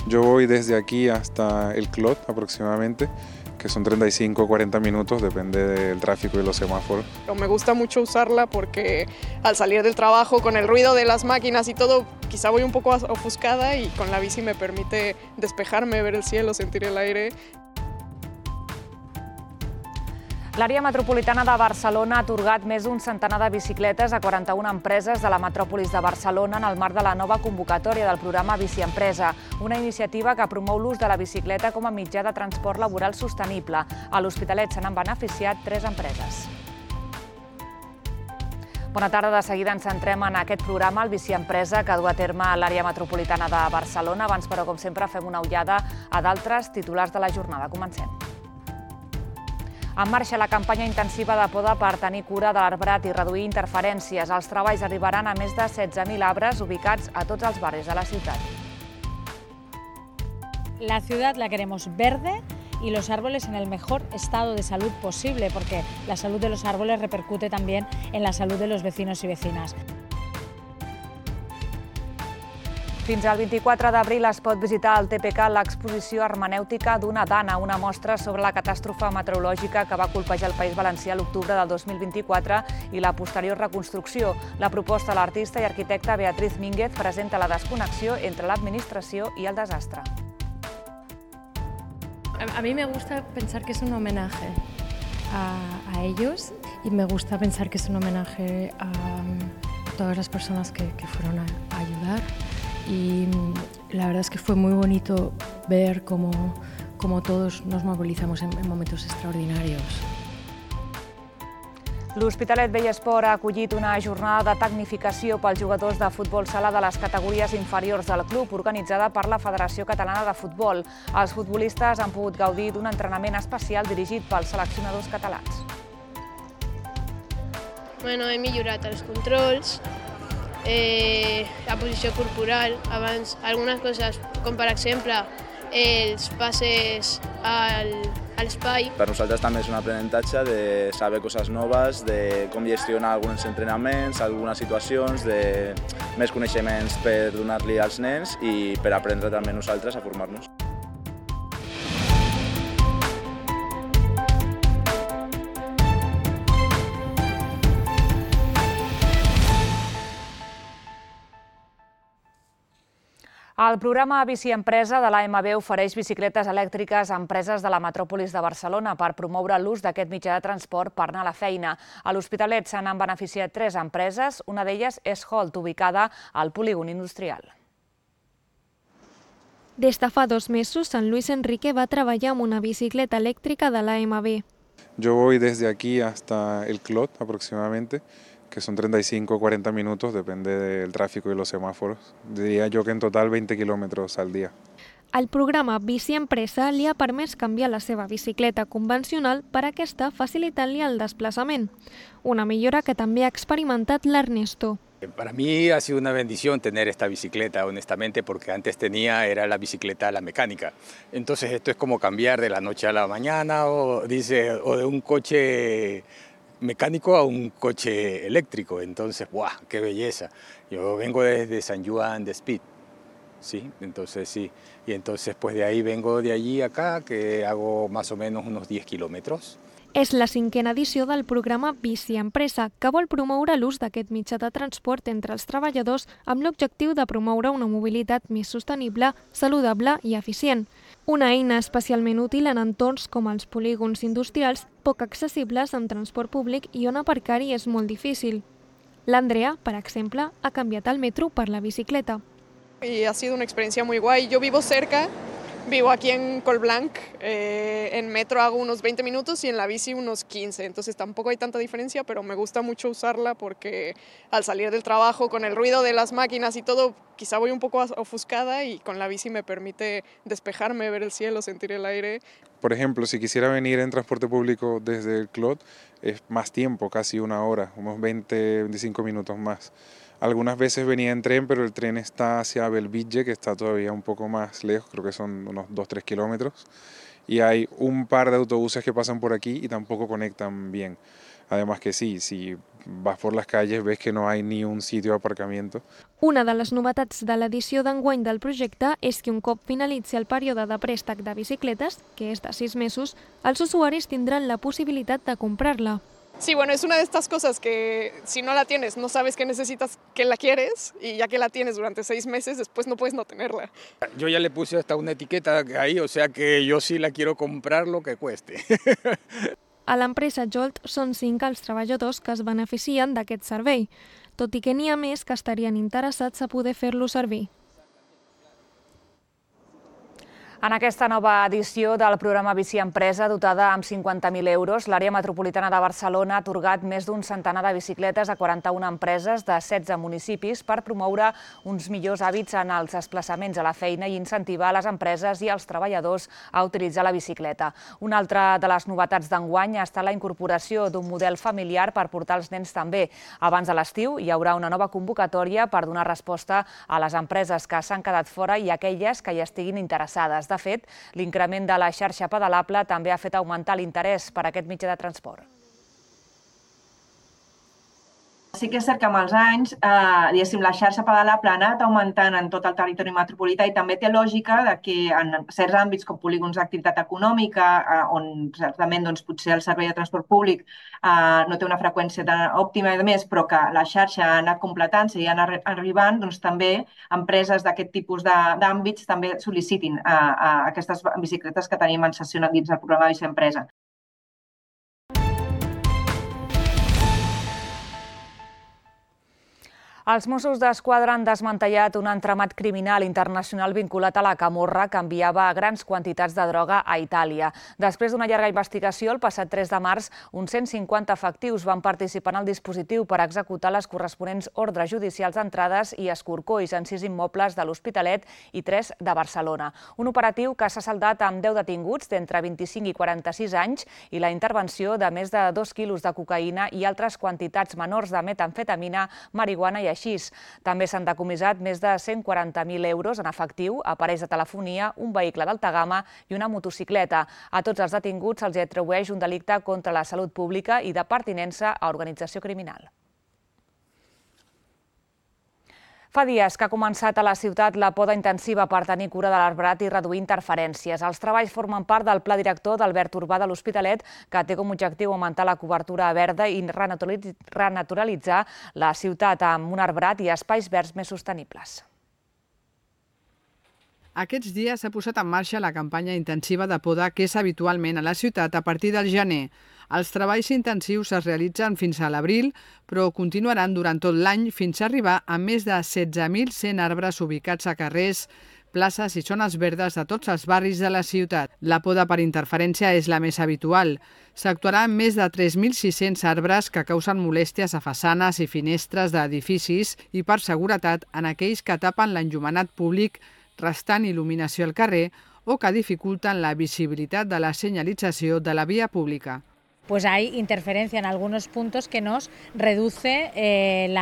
Yo voy desde aquí hasta el Clot aproximadamente, que son 35 o 40 minutos, depende del tráfico y los semáforos. Pero me gusta mucho usarla porque al salir del trabajo con el ruido de las máquinas y todo, quizá voy un poco ofuscada y con la bici me permite despejarme, ver el cielo, sentir el aire. L'àrea metropolitana de Barcelona ha atorgat més d'un centenar de bicicletes a 41 empreses de la metròpolis de Barcelona en el marc de la nova convocatòria del programa Bici Empresa, una iniciativa que promou l'ús de la bicicleta com a mitjà de transport laboral sostenible. A l'Hospitalet se n'han beneficiat 3 empreses. Bona tarda, de seguida ens centrem en aquest programa, el Bici Empresa, que du a terme l'àrea metropolitana de Barcelona. Abans, però, com sempre, fem una ullada a d'altres titulars de la jornada. Comencem. En marxa la campanya intensiva de poda per tenir cura de l'arbrat i reduir interferències. Els treballs arribaran a més de 16.000 arbres ubicats a tots els barris de la ciutat. La ciudad la queremos verde y los árboles en el mejor estado de salud posible, porque la salud de los árboles repercute también en la salud de los vecinos y vecinas. Fins al 24 d'abril es pot visitar al TPK l'exposició hermenèutica d'una dana, una mostra sobre la catàstrofe meteorològica que va colpejar el País Valencià l'octubre del 2024 i la posterior reconstrucció. La proposta de l'artista i arquitecta Beatriz Mínguez presenta la desconnexió entre l'administració i el desastre. A mí me gusta pensar que es un homenaje a ellos y me gusta pensar que es un homenaje a todas las personas que fueron a ayudar. Y la verdad es que fue muy bonito ver cómo todos nos movilizamos en momentos extraordinarios. L'Hospitalet Vell Esport ha acollit una jornada de tecnificació pels jugadors de futbol sala de les categories inferiors del club, organitzada per la Federació Catalana de Futbol. Els futbolistes han pogut gaudir d'un entrenament especial dirigit pels seleccionadors catalans. He millorat els controls, la posició corporal, abans algunes coses, com per exemple els passes a l'espai. Per nosaltres també és un aprenentatge de saber coses noves, de com gestionar alguns entrenaments, algunes situacions, de més coneixements per donar-li als nens i per aprendre també nosaltres a formar-nos. El programa Bici Empresa de l'AMB ofereix bicicletes elèctriques a empreses de la metròpolis de Barcelona per promoure l'ús d'aquest mitjà de transport per anar a la feina. A l'Hospitalet se n'han beneficiat 3 empreses, una d'elles és Holt, ubicada al polígon industrial. Des de fa 2 mesos, Sant Luis Enrique va treballar amb una bicicleta elèctrica de l'AMB. Yo voy desde aquí hasta el Clot aproximadamente, que son 35 o 40 minutos, depende del tráfico y los semáforos. Diría yo que en total 20 kilómetros al día. El programa Bici Empresa li ha permès canviar la seva bicicleta convencional per aquesta, facilitant-li el desplaçament. Una millora que també ha experimentat l'Ernesto. Para mí ha sido una bendición tener esta bicicleta, honestamente, porque antes era la bicicleta la mecánica. Entonces esto es como cambiar de la noche a la mañana o de un coche mecánico a un coche eléctrico. Entonces, ¡buah! ¡Qué belleza! Yo vengo desde San Juan de Speed, ¿sí? Entonces sí, y entonces pues de ahí vengo de allí acá, que hago más o menos unos 10 kilómetros. És la 5a edició del programa Bici Empresa, que vol promoure l'ús d'aquest mitjà de transport entre els treballadors amb l'objectiu de promoure una mobilitat més sostenible, saludable i eficient. Una eina especialment útil en entorns com els polígons industrials poc accessibles amb transport públic i on aparcar-hi és molt difícil. L'Andrea, per exemple, ha canviat el metro per la bicicleta. Y ha sido una experiencia muy guay. Yo vivo cerca, vivo aquí en Colblanc, en metro hago unos 20 minutos y en la bici unos 15, entonces tampoco hay tanta diferencia, pero me gusta mucho usarla porque al salir del trabajo con el ruido de las máquinas y todo, quizá voy un poco ofuscada y con la bici me permite despejarme, ver el cielo, sentir el aire. Por ejemplo, si quisiera venir en transporte público desde el Clot, es más tiempo, casi 1 hora, unos 20-25 minutos más. Algunas veces venía en tren, pero el tren está hacia Belvitge, que está todavía un poco más lejos, creo que son unos 2-3 kilómetros. Y hay un par de autobuses que pasan por aquí y tampoco conectan bien. Además que sí, si vas por las calles, ves que no hay ni un sitio de aparcamiento. Una de les novetats de l'edició d'enguany del projecte és que un cop finalitzi el període de préstec de bicicletes, que és de 6 mesos, els usuaris tindran la possibilitat de comprar-la. Sí, bueno, es una de estas cosas que si no la tienes, no sabes que necesitas, que la quieres, y ya que la tienes durante 6 meses, después no puedes no tenerla. Yo ya le puse hasta una etiqueta ahí, o sea que yo sí la quiero comprar lo que cueste. A l'empresa Jolt són 5 els treballadors que es beneficien d'aquest servei, tot i que n'hi ha més que estarien interessats a poder fer-lo servir. En aquesta nova edició del programa Bici Empresa, dotada amb 50.000 euros, l'àrea metropolitana de Barcelona ha atorgat més d'un centenar de bicicletes a 41 empreses de 16 municipis per promoure uns millors hàbits en els desplaçaments a la feina i incentivar les empreses i els treballadors a utilitzar la bicicleta. Una altra de les novetats d'enguany ha estat la incorporació d'un model familiar per portar els nens també. Abans de l'estiu hi haurà una nova convocatòria per donar resposta a les empreses que s'han quedat fora i aquelles que hi estiguin interessades. De fet, l'increment de la xarxa pedalable també ha fet augmentar l'interès per aquest mitjà de transport. Sí que és cert que amb els anys, la xarxa pedalable ha anat augmentant en tot el territori metropolità i també té lògica que en certs àmbits com polígons d'activitat econòmica, on certament potser el servei de transport públic no té una freqüència òptima i més, però que la xarxa ha anat completant-se i ha anat arribant, també empreses d'aquest tipus d'àmbits també sol·licitin aquestes bicicletes que tenim en sessió dins del programa Bici Empresa. Els Mossos d'Esquadra han desmantellat un entramat criminal internacional vinculat a la camorra que enviava grans quantitats de droga a Itàlia. Després d'una llarga investigació, el passat 3 de març, uns 150 efectius van participar en el dispositiu per executar les corresponents ordres judicials d'entrades i escorcolls en 6 immobles de l'Hospitalet i 3 de Barcelona. Un operatiu que s'ha saldat amb 10 detinguts d'entre 25 i 46 anys i la intervenció de més de 2 quilos de cocaïna i altres quantitats menors de metamfetamina, marihuana i així. També s'han decomissat més de 140.000 euros en efectiu, aparells de telefonia, un vehicle d'alta gamma i una motocicleta. A tots els detinguts se'ls atribueix un delicte contra la salut pública i de pertinença a organització criminal. Fa dies que ha començat a la ciutat la poda intensiva per tenir cura de l'arbrat i reduir interferències. Els treballs formen part del pla director d'Albert Urbà de l'Hospitalet, que té com a objectiu augmentar la cobertura verda i renaturalitzar la ciutat amb un arbrat i espais verds més sostenibles. Aquests dies s'ha posat en marxa la campanya intensiva de poda que és habitualment a la ciutat a partir del gener. Els treballs intensius es realitzen fins a l'abril, però continuaran durant tot l'any fins a arribar a més de 16.100 arbres ubicats a carrers, places i zones verdes de tots els barris de la ciutat. La poda per interferència és la més habitual. S'actuarà amb més de 3.600 arbres que causen molèsties a façanes i finestres d'edificis i per seguretat en aquells que tapen l'enllumenat públic, restant il·luminació al carrer o que dificulten la visibilitat de la señalització de la vía pública. Pues hay interferencia en algunos puntos que nos reduce el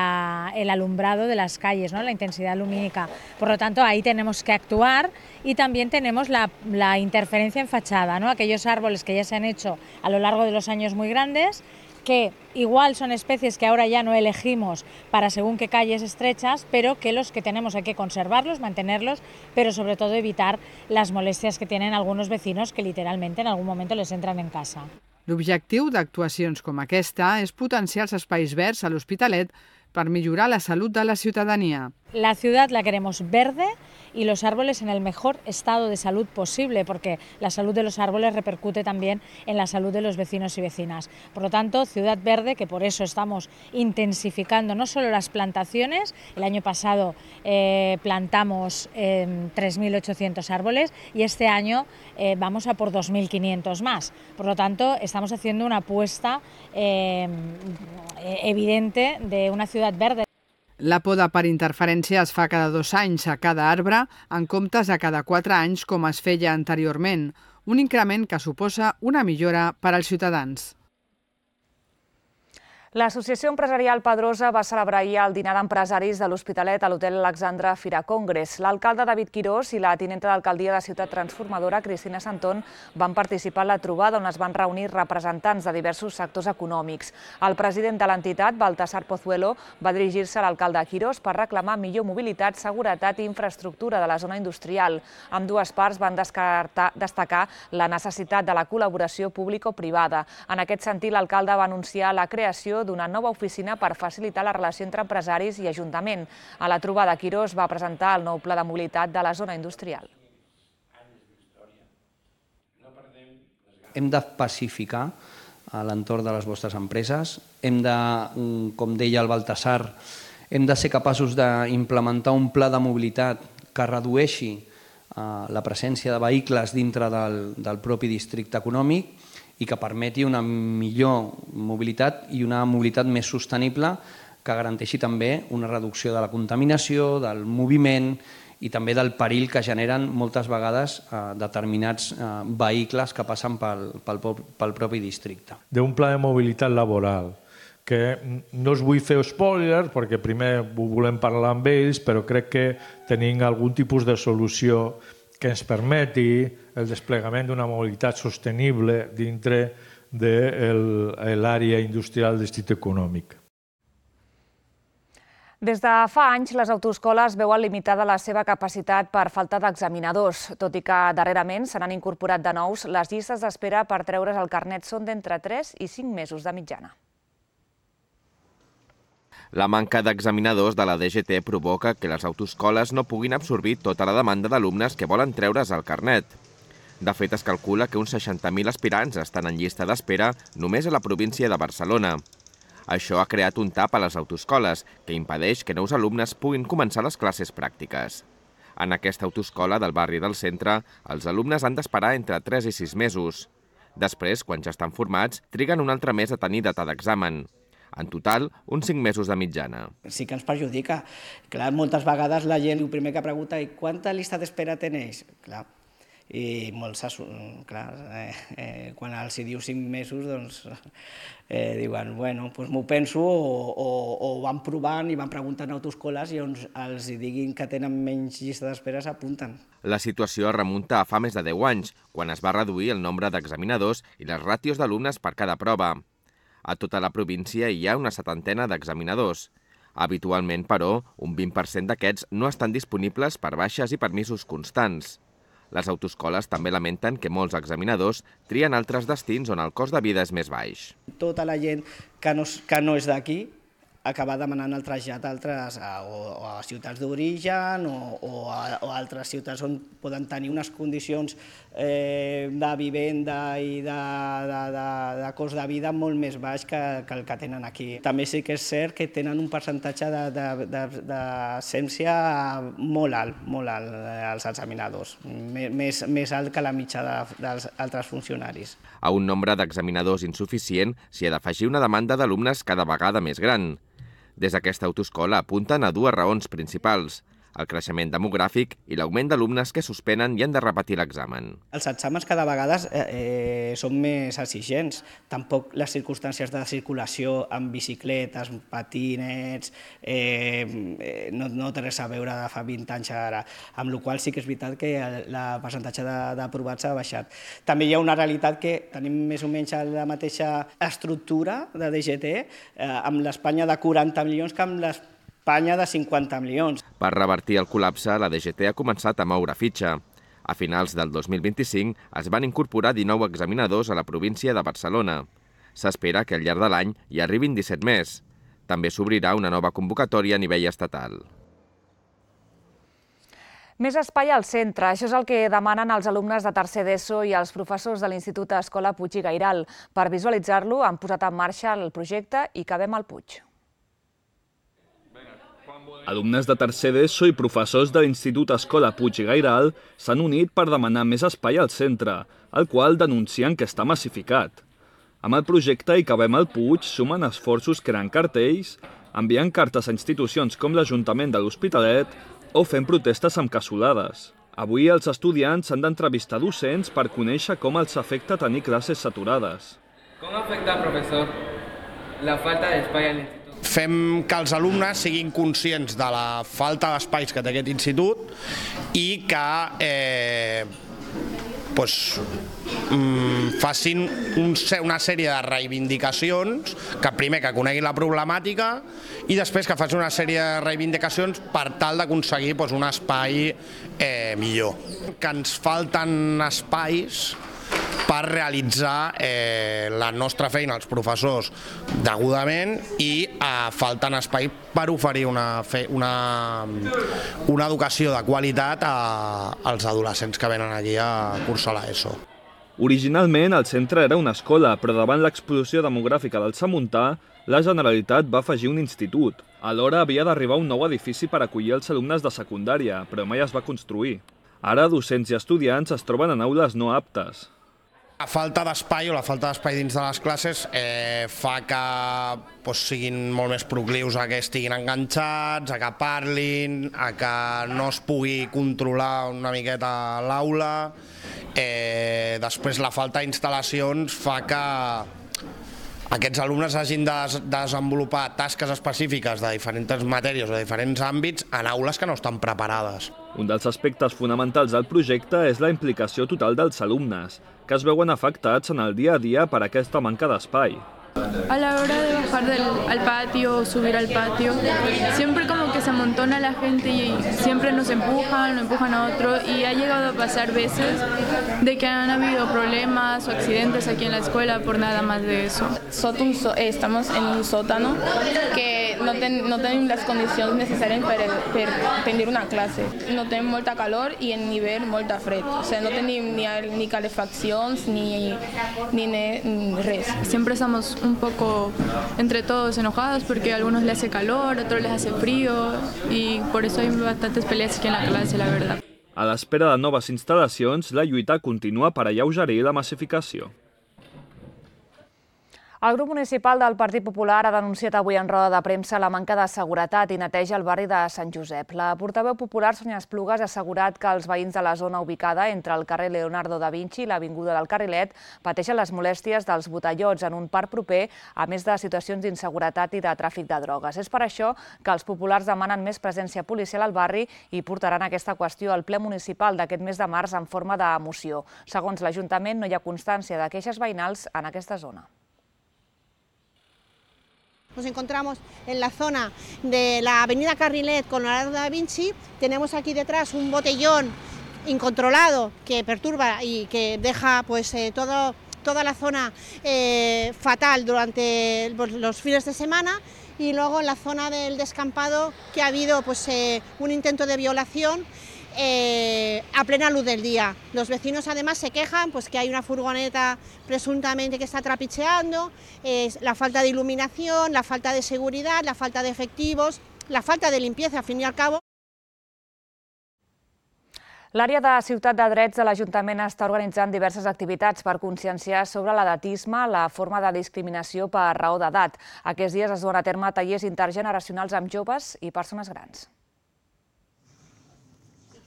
alumbrado de las calles, ¿no? La intensidad lumínica. Por lo tanto, ahí tenemos que actuar y también tenemos la interferencia en fachada, ¿no? Aquellos árboles que ya se han hecho a lo largo de los años muy grandes, que igual son especies que ahora ya no elegimos para según qué calles estrechas, pero que los que tenemos hay que conservarlos, mantenerlos, pero sobre todo evitar las molestias que tienen algunos vecinos que literalmente en algún momento les entran en casa. L'objectiu d'actuacions com aquesta és potenciar els espais verds a l'Hospitalet per millorar la salut de la ciutadania. La ciudad la queremos verde y los árboles en el mejor estado de salud posible, porque la salud de los árboles repercute también en la salud de los vecinos y vecinas. Por lo tanto, ciudad verde, que por eso estamos intensificando no solo las plantaciones, el año pasado plantamos 3.800 árboles y este año vamos a por 2.500 más. Por lo tanto, estamos haciendo una apuesta evidente de una ciudad verde. La poda per interferència es fa cada 2 anys a cada arbre, en comptes de cada 4 anys com es feia anteriorment, un increment que suposa una millora per als ciutadans. L'Associació Empresarial Pedrosa va celebrar ahir el dinar d'empresaris de l'Hospitalet a l'Hotel Alexandra Fira Congress. L'alcalde David Quirós i la tinenta d'alcaldia de Ciutat Transformadora, Cristina Santón, van participar en la trobada on es van reunir representants de diversos sectors econòmics. El president de l'entitat, Baltasar Pozuelo, va dirigir-se a l'alcalde Quirós per reclamar millor mobilitat, seguretat i infraestructura de la zona industrial. Ambdues parts van destacar la necessitat de la col·laboració público-privada. En aquest sentit, l'alcalde va anunciar la creació d'una nova oficina per facilitar la relació entre empresaris i Ajuntament. A la trobada, Quirós va presentar el nou pla de mobilitat de la zona industrial. Hem de pacificar l'entorn de les vostres empreses, hem de, com deia el Baltasar, hem de ser capaços d'implementar un pla de mobilitat que redueixi la presència de vehicles dintre del propi districte econòmic i que permeti una millor mobilitat i una mobilitat més sostenible que garanteixi també una reducció de la contaminació, del moviment i també del perill que generen moltes vegades determinats vehicles que passen pel propi districte. D'un pla de mobilitat laboral que no us vull fer spoiler perquè primer ho volem parlar amb ells, però crec que tenim algun tipus de solució que ens permeti el desplegament d'una mobilitat sostenible dintre de l'àrea industrial del districte econòmic. Des de fa anys, les autoescoles veuen limitada la seva capacitat per falta d'examinadors, tot i que darrerament se n'han incorporat de nous, les llistes d'espera per treure's el carnet són d'entre 3 i 5 mesos de mitjana. La manca d'examinadors de la DGT provoca que les autoescoles no puguin absorbir tota la demanda d'alumnes que volen treure's el carnet. De fet, es calcula que uns 60.000 aspirants estan en llista d'espera només a la província de Barcelona. Això ha creat un tap a les autoescoles, que impedeix que nous alumnes puguin començar les classes pràctiques. En aquesta autoescola del barri del centre, els alumnes han d'esperar entre 3 i 6 mesos. Després, quan ja estan formats, triguen un altre mes a tenir data d'examen. En total, uns 5 mesos de mitjana. Sí que ens perjudica. Clar, moltes vegades la gent el primer que pregunta és quanta llista d'espera tenéis? Clar, i molts, clar, quan els diu 5 mesos, doncs diuen, bueno, doncs m'ho penso, o van provant i van preguntant a autoescoles i on els diguin que tenen menys llista d'espera s'apunten. La situació es remunta a fa més de 10 anys, quan es va reduir el nombre d'examinadors i les ràtios d'alumnes per cada prova. A tota la província hi ha una 70ena d'examinadors. Habitualment, però, un 20% d'aquests no estan disponibles per baixes i permisos constants. Les autoescoles també lamenten que molts examinadors trien altres destins on el cost de vida és més baix. Tota la gent que no és d'aquí acaba demanant el trasllat a ciutats d'origen o a altres ciutats on poden tenir unes condicions de vivenda i de cost de vida molt més baix que el que tenen aquí. També sí que és cert que tenen un percentatge d'absència molt alt els examinadors, més alt que la mitjana dels altres funcionaris. A un nombre d'examinadors insuficient s'hi ha d'afegir una demanda d'alumnes cada vegada més gran. Des d'aquesta autoescola apunten a dues raons principals: el creixement demogràfic i l'augment d'alumnes que suspenen i han de repetir l'examen. Els exàmens cada vegada són més exigents. Tampoc les circumstàncies de circulació amb bicicletes, patinets, no té res a veure de fa 20 anys ara, amb la qual cosa sí que és veritat que el percentatge d'aprovats ha baixat. També hi ha una realitat que tenim més o menys la mateixa estructura de DGT amb l'Espanya de 40 milions que amb l'Espanya de 50 milions. Per revertir el col·lapse, la DGT ha començat a moure fitxa. A finals del 2025 es van incorporar 19 examinadors a la província de Barcelona. S'espera que al llarg de l'any hi arribin 17 més. També s'obrirà una nova convocatòria a nivell estatal. Més espai al centre, això és el que demanen els alumnes de tercer d'ESO i els professors de l'Institut Escola Puig i Gairal. Per visualitzar-lo han posat en marxa el projecte I cabem al Puig. Alumnes de tercer d'ESO i professors de l'Institut Escola Puig i Gairal s'han unit per demanar més espai al centre, el qual denuncien que està massificat. Amb el projecte I cabem al Puig sumen esforços creant cartells, enviant cartes a institucions com l'Ajuntament de l'Hospitalet o fent protestes amb cassolades. Avui els estudiants han d'entrevistar docents per conèixer com els afecta tenir classes saturades. Com afecta, professor? la falta d'espai a l'institut. Fem que els alumnes siguin conscients de la falta d'espais que té aquest institut i que facin una sèrie de reivindicacions, que primer que coneguin la problemàtica i després que facin una sèrie de reivindicacions per tal d'aconseguir un espai millor. Que ens falten espais per realitzar la nostra feina als professors degudament i falten espai per oferir una educació de qualitat als adolescents que venen aquí a cursar l'ESO. Originalment el centre era una escola, però davant l'explosió demogràfica del Samuntà, la Generalitat va afegir un institut. Alhora havia d'arribar un nou edifici per acollir els alumnes de secundària, però mai es va construir. Ara docents i estudiants es troben en aules no aptes. La falta d'espai o la falta d'espai dins de les classes fa que siguin molt més proclius a que estiguin enganxats, a que parlin, a que no es pugui controlar una miqueta l'aula. Després la falta d'instal·lacions fa que aquests alumnes hagin de desenvolupar tasques específiques de diferents matèries o de diferents àmbits en aules que no estan preparades. Un dels aspectes fonamentals del projecte és la implicació total dels alumnes, que es veuen afectats en el dia a dia per aquesta manca d'espai. A la hora de bajar al patio o subir al patio, siempre como que se amontona la gente y siempre nos empujan a otro, y ha llegado a pasar veces de que han habido problemas o accidentes aquí en la escuela por nada más de eso. Estamos en un sótano que no tenim les condicions necessàries per tenir una clase. No tenim molta calor i en hivern molta fred. O sea, no tenim ni calefaccions ni res. Siempre estamos un poco entre todos enojados porque a algunos les hace calor, a otros les hace frío, y por eso hay bastantes peleas aquí en la clase, la verdad. A l'espera de noves instal·lacions, la lluita continua per alleugerir la massificació. El grup municipal del Partit Popular ha denunciat avui en roda de premsa la manca de seguretat i neteja al barri de Sant Josep. La portaveu popular, Sònia Esplugues, ha assegurat que els veïns de la zona ubicada entre el carrer Leonardo da Vinci i l'avinguda del Carrilet pateixen les molèsties dels botellots en un parc proper, a més de situacions d'inseguretat i de tràfic de drogues. És per això que els populars demanen més presència policial al barri i portaran aquesta qüestió al ple municipal d'aquest mes de març en forma de moció. Segons l'Ajuntament, no hi ha constància de queixes veïnals en aquesta zona. Nos encontramos en la zona de la avenida Carrilet con Leonardo da Vinci. Tenemos aquí detrás un botellón incontrolado que perturba y que deja toda la zona fatal durante los fines de semana. Y luego en la zona del descampado que ha habido un intento de violación a plena luz del día. Los vecinos además se quejan que hay una furgoneta presuntamente que está trapicheando, la falta de iluminación, la falta de seguridad, la falta de efectivos, la falta de limpieza, al fin y al cabo. L'àrea de Ciutat de Drets de l'Ajuntament està organitzant diverses activitats per conscienciar sobre l'edatisme, la forma de discriminació per raó d'edat. Aquests dies es duen a terme tallers intergeneracionals amb joves i persones grans.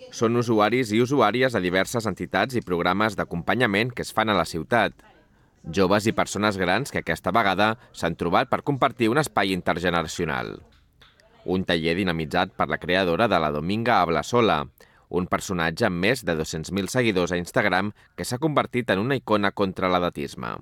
Són usuaris i usuàries de diverses entitats i programes d'acompanyament que es fan a la ciutat. Joves i persones grans que aquesta vegada s'han trobat per compartir un espai intergeneracional. Un taller dinamitzat per la creadora de la Dominga Ablasola, un personatge amb més de 200.000 seguidors a Instagram que s'ha convertit en una icona contra l'edatisme.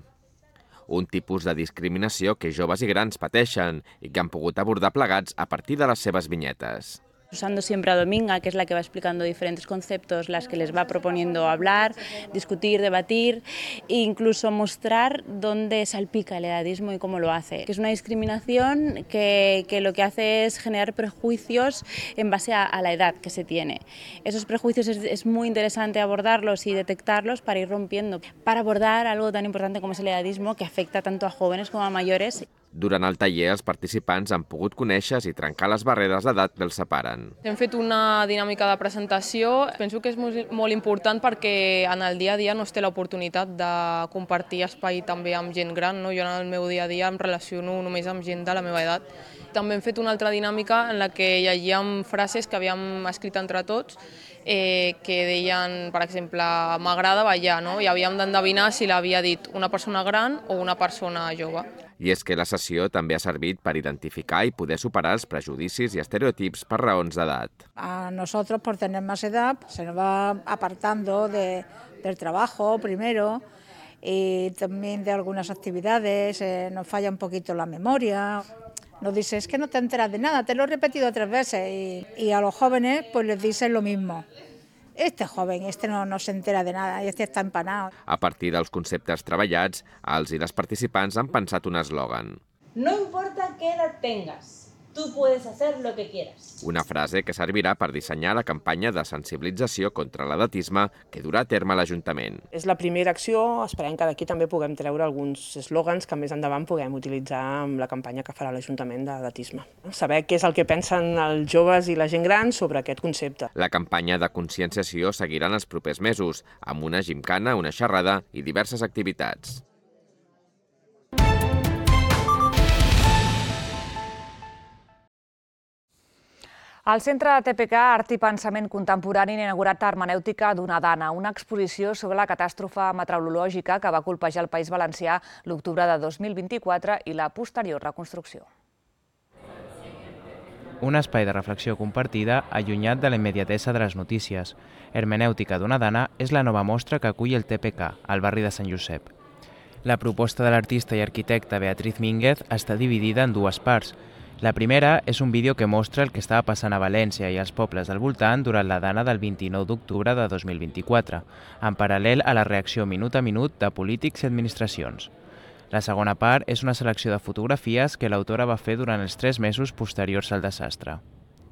Un tipus de discriminació que joves i grans pateixen i que han pogut abordar plegats a partir de les seves vinyetes. Usando siempre a Dominga, que es la que va explicando diferentes conceptos, las que les va proponiendo hablar, discutir, debatir e incluso mostrar dónde salpica el edadismo y cómo lo hace. Que es una discriminación que lo que hace es generar prejuicios en base a la edad que se tiene. Esos prejuicios es muy interesante abordarlos y detectarlos para ir rompiendo, para abordar algo tan importante como es el edadismo, que afecta tanto a jóvenes como a mayores. Durant el taller, els participants han pogut conèixer i trencar les barreres d'edat que els separen. Hem fet una dinàmica de presentació. Penso que és molt important perquè en el dia a dia no es té l'oportunitat de compartir espai també amb gent gran. Jo en el meu dia a dia em relaciono només amb gent de la meva edat. També hem fet una altra dinàmica en la que llegíem frases que havíem escrit entre tots que deien, per exemple, m'agrada ballar, i havíem d'endevinar si l'havia dit una persona gran o una persona jove. I és que la sessió també ha servit per identificar i poder superar els prejudicis i estereotips per raons d'edat. A nosotros, por tener más edad, se nos va apartando del trabajo primero y también de algunas actividades, nos falla un poquito la memoria. Nos dice, es que no te enteras de nada, te lo he repetido 3 veces. Y a los jóvenes pues les dicen lo mismo. Este joven, no se entera de nada, este está empanado. A partir dels conceptes treballats, els i les participants han pensat un eslògan. No importa qué edad tengas, tú puedes hacer lo que quieras. Una frase que servirà per dissenyar la campanya de sensibilització contra l'edatisme que durà a terme l'Ajuntament. És la primera acció, esperem que d'aquí també puguem treure alguns eslògans que més endavant puguem utilitzar amb la campanya que farà l'Ajuntament d'edatisme. Saber què és el que pensen els joves i la gent gran sobre aquest concepte. La campanya de conscienciació seguirà en els propers mesos, amb una gimcana, una xerrada i diverses activitats. El Centre de TPK Art i Pensament Contemporani ha inaugurat Hermenèutica d'una dana, una exposició sobre la catàstrofe meteorològica que va colpejar el País Valencià l'octubre de 2024 i la posterior reconstrucció. Un espai de reflexió compartida allunyat de la immediatesa de les notícies. Hermenèutica d'una dana és la nova mostra que acull el TPK, al barri de Sant Josep. La proposta de l'artista i arquitecta Beatriz Mínguez està dividida en 2 parts. La primera és un vídeo que mostra el que estava passant a València i als pobles del voltant durant la dana del 29 d'octubre de 2024, en paral·lel a la reacció minut a minut de polítics i administracions. La segona part és una selecció de fotografies que l'autora va fer durant els 3 mesos posteriors al desastre.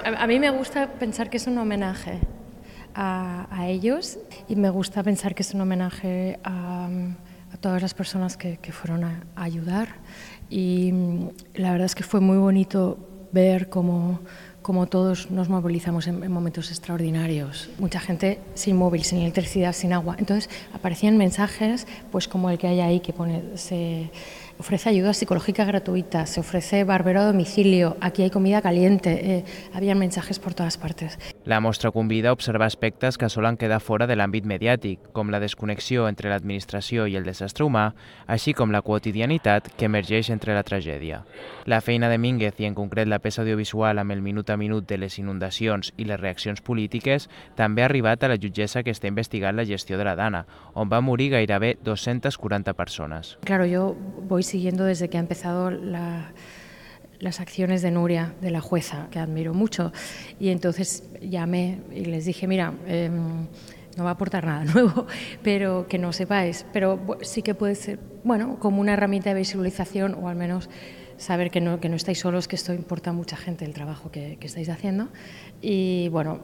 A mí me gusta pensar que es un homenaje a ellos y me gusta pensar que es un homenaje a todas las personas que fueron a ayudar. Y la verdad es que fue muy bonito ver cómo todos nos movilizamos en momentos extraordinarios. Mucha gente sin móvil, sin electricidad, sin agua. Entonces aparecían mensajes pues como el que hay ahí, que pone, se ofrece ayuda psicológica gratuita, se ofrece barbero a domicilio, aquí hay comida caliente, había mensajes por todas partes. La mostra convida a observar aspectes que solen quedar fora de l'àmbit mediàtic, com la desconnexió entre l'administració i el desastre humà, així com la quotidianitat que emergeix entre la tragèdia. La feina de Mínguez i en concret la peça audiovisual amb el minut a minut de les inundacions i les reaccions polítiques també ha arribat a la jutgessa que està investigant la gestió de la dana, on va morir gairebé 240 persones. Claro, yo voy siguiendo desde que ha empezado las acciones de Nuria, de la jueza, que admiro mucho, y entonces llamé y les dije, mira, no va a aportar nada nuevo, pero que no sepáis, pero sí que puede ser, bueno, como una herramienta de visualización, o al menos saber que no estáis solos, que esto importa a mucha gente, el trabajo que estáis haciendo. Y bueno,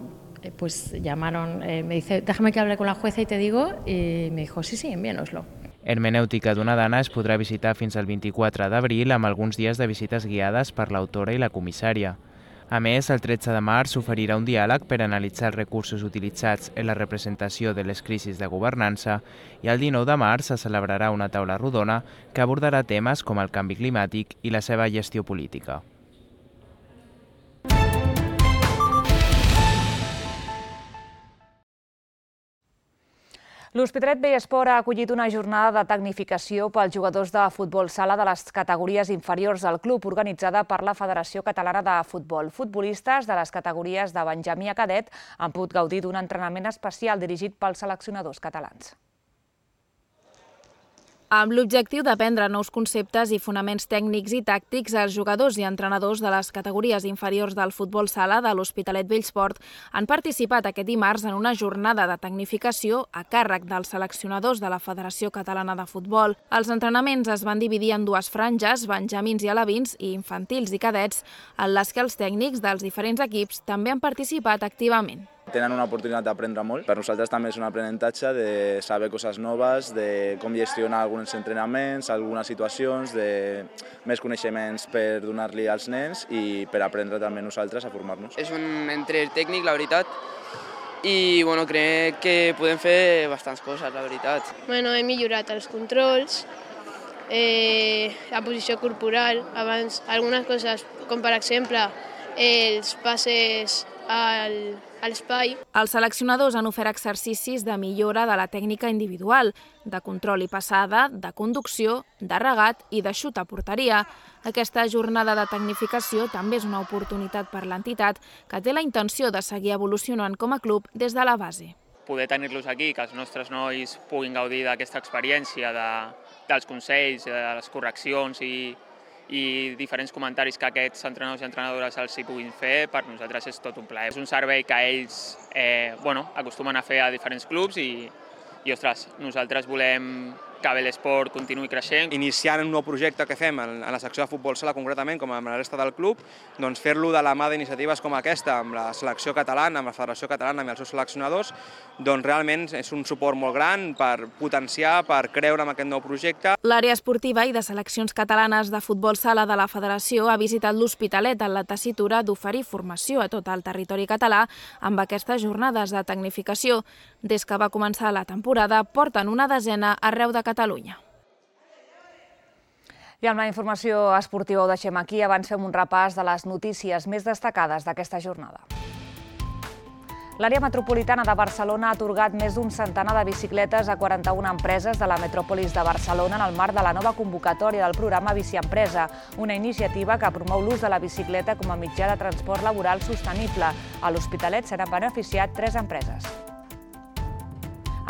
pues llamaron, me dice, déjame que hable con la jueza y te digo, y me dijo, sí, envíanoslo. Hermenèutica d'una dana es podrà visitar fins al 24 d'abril amb alguns dies de visites guiades per l'autora i la comissària. A més, el 13 de març s'oferirà un diàleg per analitzar els recursos utilitzats en la representació de les crisis de governança i el 19 de març se celebrarà una taula rodona que abordarà temes com el canvi climàtic i la seva gestió política. L'Hospitalet Vallesport ha acollit una jornada de tecnificació pels jugadors de futbol sala de les categories inferiors del club, organitzada per la Federació Catalana de Futbol. Futbolistes de les categories de Benjamí a cadet han pogut gaudir d'un entrenament especial dirigit pels seleccionadors catalans. Amb l'objectiu d'aprendre nous conceptes i fonaments tècnics i tàctics, els jugadors i entrenadors de les categories inferiors del futbol sala de l'Hospitalet Vallesport han participat aquest dimarts en una jornada de tecnificació a càrrec dels seleccionadors de la Federació Catalana de Futbol. Els entrenaments es van dividir en 2 franges, benjamins i alevins i infantils i cadets, en les que els tècnics dels diferents equips també han participat activament. Tenen una oportunitat d'aprendre molt. Per nosaltres també és un aprenentatge de saber coses noves, de com gestionar alguns entrenaments, algunes situacions, de més coneixements per donar-li als nens i per aprendre també nosaltres a formar-nos. És un entrenador tècnic, la veritat, i crec que podem fer bastants coses, la veritat. He millorat els controls, la posició corporal, abans algunes coses, com per exemple els passes a l'espai. Els seleccionadors han ofert exercicis de millora de la tècnica individual, de control i passada, de conducció, de regat i de xut a porteria. Aquesta jornada de tecnificació també és una oportunitat per l'entitat, que té la intenció de seguir evolucionant com a club des de la base. Poder tenir-los aquí, que els nostres nois puguin gaudir d'aquesta experiència, dels consells, de les correccions i diferents comentaris que aquests entrenadors i entrenadores els hi puguin fer, per nosaltres és tot un plaer. És un servei que ells acostumen a fer a diferents clubs i ostres, nosaltres volem que l'esport continuï creixent. Iniciant un nou projecte que fem en la secció de futbol sala, concretament, com amb la resta del club, doncs fer-lo de la mà d'iniciatives com aquesta, amb la selecció catalana, amb la Federació Catalana, amb els seus seleccionadors, doncs realment és un suport molt gran per potenciar, per creure en aquest nou projecte. L'àrea esportiva i de seleccions catalanes de futbol sala de la Federació ha visitat l'Hospitalet en la tessitura d'oferir formació a tot el territori català amb aquestes jornades de tecnificació. Des que va començar la temporada, porten una desena arreu de Catalunya. I amb la informació esportiva ho deixem aquí. Abans fem un repàs de les notícies més destacades d'aquesta jornada. L'àrea metropolitana de Barcelona ha atorgat més d'un centenar de bicicletes a 41 empreses de la metròpolis de Barcelona en el marc de la nova convocatòria del programa Bici Empresa, una iniciativa que promou l'ús de la bicicleta com a mitjà de transport laboral sostenible. A l'Hospitalet se n'han beneficiat 3 empreses.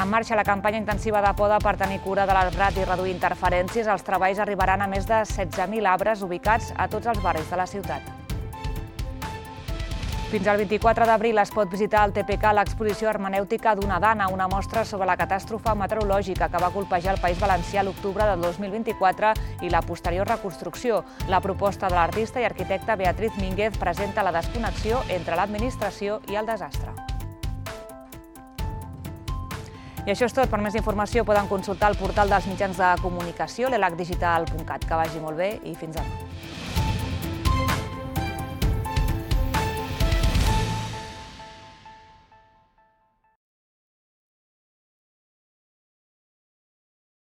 En marxa la campanya intensiva de poda per tenir cura de l'arbrat i reduir interferències. Els treballs arribaran a més de 16.000 arbres ubicats a tots els barris de la ciutat. Fins al 24 d'abril es pot visitar al TPK l'exposició hermenèutica d'una dana, una mostra sobre la catàstrofe meteorològica que va colpejar el País Valencià l'octubre del 2024 i la posterior reconstrucció. La proposta de l'artista i arquitecta Beatriz Mínguez presenta la desconnexió entre l'administració i el desastre. I això és tot. Per més informació poden consultar el portal dels mitjans de comunicació, l'elacdigital.cat. Que vagi molt bé i fins demà.